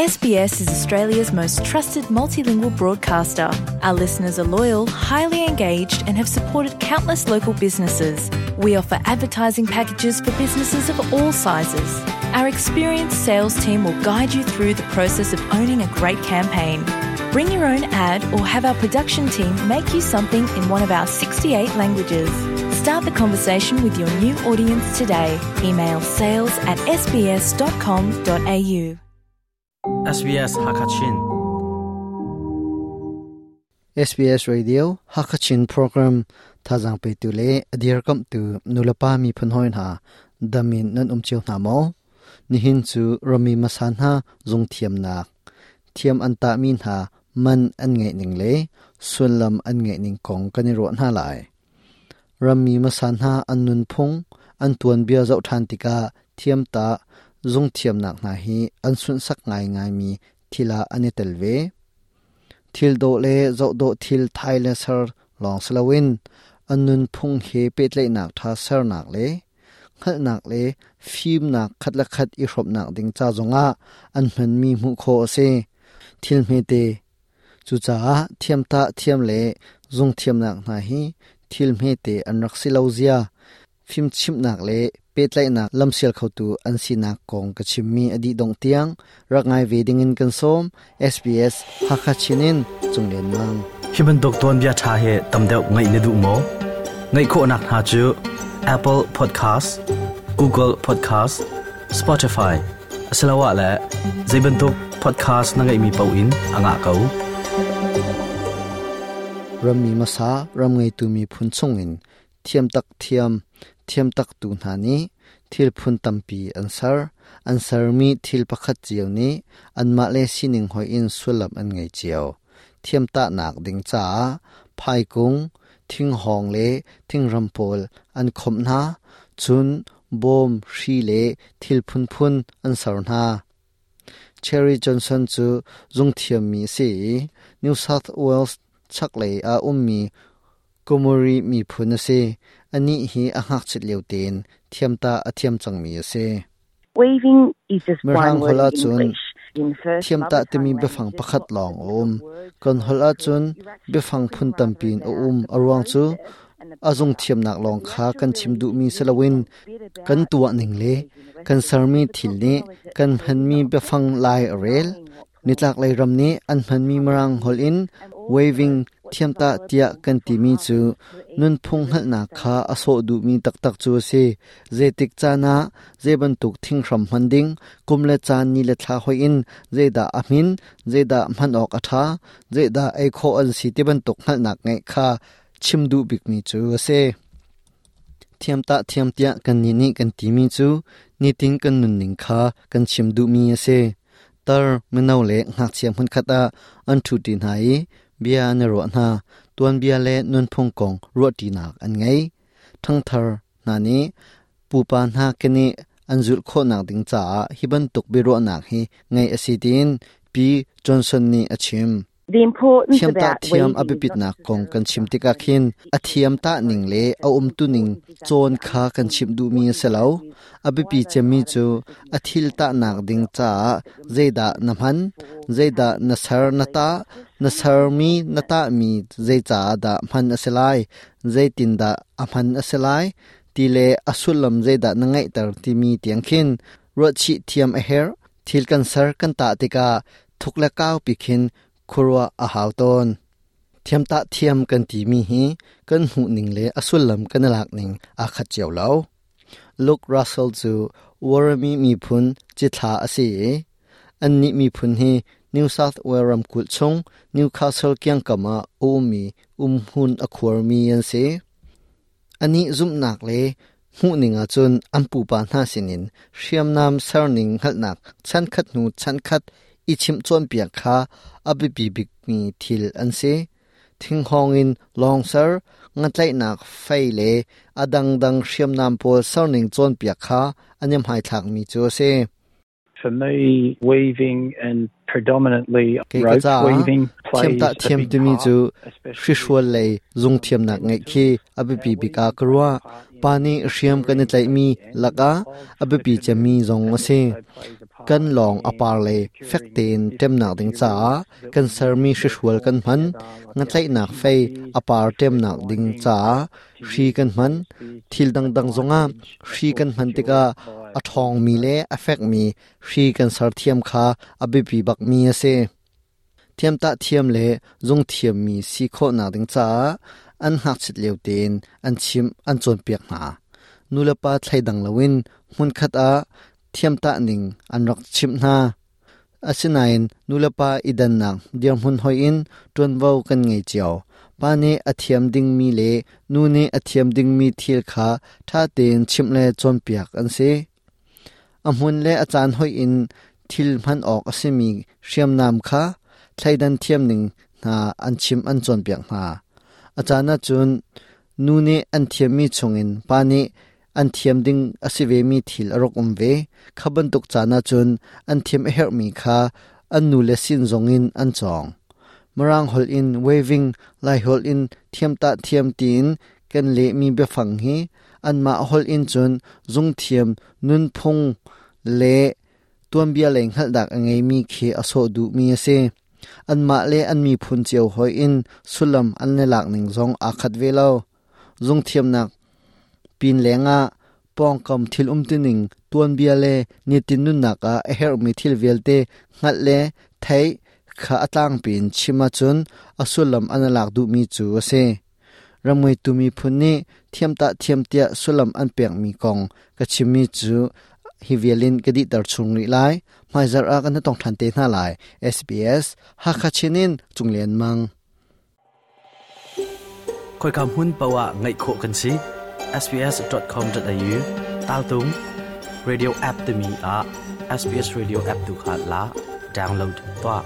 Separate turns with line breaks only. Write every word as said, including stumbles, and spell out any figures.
S B S is Australia's most trusted multilingual broadcaster. Our listeners are loyal, highly engaged, and have supported countless local businesses. We offer advertising packages for businesses of all sizes. Our experienced sales team will guide you through the process of owning a great campaign. Bring your own ad or have our production team make you something in one of our sixty-eight languages. Start the conversation with your new audience today. Email sales at S B S dot com dot A U.
S B S Hakachin.
S B S Radio Hakachin program thazang pe tu le adir kam tu nulapa mi phun hoin ha damin nan um chiu na mo ni hin chu rami masan ha zung thiam nak thiam an ta min ha man an ngai ning le sulam an ngai ning kong kan ro na lai rami masan ha an nun phung an tuan bia zau than tika thiam ta zung thiam nak na hi an sun sak ngai ngai mi thila ani telve thil do le zo do thil thai le sar long slawin anun phung he pe tle nak tha sar nak le khal nak le phim nak khat la khat i hrop nak ding cha zonga an hman mi mu kho ase thil me te chu cha thiam ta thiam le zung thiam nak na hi thil me te an rak si lo zia phim chim nak le pe tlai nak lamsial khotu an si nak kong ka chimmi adi dong tiang rak ngai ve ding in kan som S B S Hakachinin chunglen mang.
Hiban dokton bia tha he tamdeu ngai ne du mo ngai kho nak ha chu Apple Podcast, Google Podcast, Spotify asalawa la zaibantuk podcast na ngai mi pau in anga kau.
Rammi masa ram ngai tu mi phun chungin thiam tak thiam thiam tak tu hna ni thil phun tampi an sar an sar mi thil pakhat chiao ni an ma le sining hoi in sulam an ngai chiao thiam ta nak ding cha phai kung thing hong le thing ram pol an khom na chun bom hri le thil phun phun an sar na. Cherry Johnson chu zung thiam mi si New South Wales chaklei a ummi Gomeroi mi phun ase ani hi a hngak chit leu ten thiam ta a thiam chang mi ase.
Weaving is just one
Mirang
word
hola
in
chun
English. In first
thiam ta timi biafang pakhat lawng a um. Kan hol ah cun biafang phun tampin a um. Aruang chu azung thiam nak lawng kha kan chim duh mi salawin kan tuwa ning le kan sarmi thil ni kan hmanmi biafang lai a rel nitlak lei ram ni an hmanmi marang hol in weaving thiam ta tia kan ti mi chu nun phung hal na kha aso du mi tak tak chu se zetik chana zeban tuk thing hram handing kumle chan ni le thla hoi in zeda amin zeda man ok atha zeda ei kho an si te ban tuk hal nak ngai kha chimdu bik mi chu ase. Thiam ta thiam tia kan ni ni kan ti mi chu nitin kan nun ning kha kan chimdu mi ase. Tar mino le ngak chiam hun khata an thu tin hai bia an ro na tuan bia le nun phung kong ro ti nak an ngai thang thar na ni pupa na keni anjul kho nak ding cha hiban tuk bi ro nak hi ngai asitin P Johnson ni achim.
The importance
thiam ta
about
thiam
weaving is
abipit
not
nak kong
necessarily
kan chim tika khin a thiam ta ning le a um tu ning chon kha kan chim du mi selo abipi chemi chu a thil ta nak ding cha zeida na man zeida na sar na ta na sar mi na ta mi zei cha da man aselai zeitin da aman aselai ti le asulam zeida na ngai tar ti mi tiang khin ro chi thiam a her. Thil kan sar kan ta tika thukla kaw pi khin khurwa a haw ton. Thiam ta thiam kan ti mi hi kan hu ning le asulam kan lak ning a khat chiaw lo. Luke Russell chu Worimi mi phun chi thla ase. An ni mi phun hi New South Wales ram kul chung Newcastle kyang kama umi um hun a khuar mi an se. Ani zum nak le mu ninga chun ampu pa na sinin hriam nam sarning khalnak chan khat nu chan khat i chim chon piak kha abipi bik mi thil an se. Thing hong in long sar nga tlai nak fai le adang dang hriam nam pol sarning chon piak kha anyam hai thak mi chu se.
For me, weaving and predominantly
Ke ka
rope
cha
weaving
thiam
plays
ta
a
thiam
big
ti mi
part,
chu
especially
hri hrual lei zung thiam nak ngai khi abipi bika karwa pani hriam kan tlai mi laka abipi chami zong ase. Kan lawng a par le fek tein ṭemnak ding caah kan sermi hrihrual kan hman. Ngatlaihnak fei a par ṭemnak ding caah hri kan hman. Thil dangdang zongah hri kan hman tikah a ṭhawngmi le a fekmi hri kan ser thiam kha a biapi bakmi a si. Thiamtah thiam le zung thiammi si khawhnak ding caah an ngakchit lio tein an chimh an cawnpiak hna. Nulepa thleidang loin hmunkhat ah thiamtah ning an rak chimh hna. Asinain nulepa i dannak dirhmun hoih in ṭuanvo kan ngei cio. Pa nih a thiam dingmi le nu nih a thiam dingmi thil kha ṭha tein chimh le cawnpiak an si. A hmun le a caan hoih in thil hman awk a simi hriamnam kha thleidan thiam ning hna an chimh an cawnpiak hna. A caan ahcun nu nih an thiammi chungin pa nih an thiam ding a si vemi thil a rak um ve. Kha bantuk caan ahcun an thiam a herhmi kha an nu le sin zongin an cawng. Mirang holh in weaving, Lai holh in thiamtah thiam tiin kan lehmi biafang hi anmah holh in cun zungthiam, nunphung le tuanbia lei hngalhnak a ngeimi khi a sawh duhmi a si. Anmah le an miphun cio hoih in sullam an le lak ning zong aa khat ve lo. Zungthiamnak pin lengah pawngkam thil umtuning tuanbia le nitin nunnak ah a herhmi thil vialte hngalh le theih kha a tlangpi in chim ahcun a sullam an lak duhmi cu a si. Ramngeitu miphun nih thiamtah thiam tiah sullam an pekmi kong ka chimmi cu hi vialin ka dihter chung rih lai. Hmaizarh ah kan tong ṭhan te hna lai. S B S Hakha Chin in Cung Lian Mang.
Khoika hmun paoh ah ngaih khawh kan si. S B S dot com dot A U tal tung radio app timi ah S B S radio app tu kha la download tuah.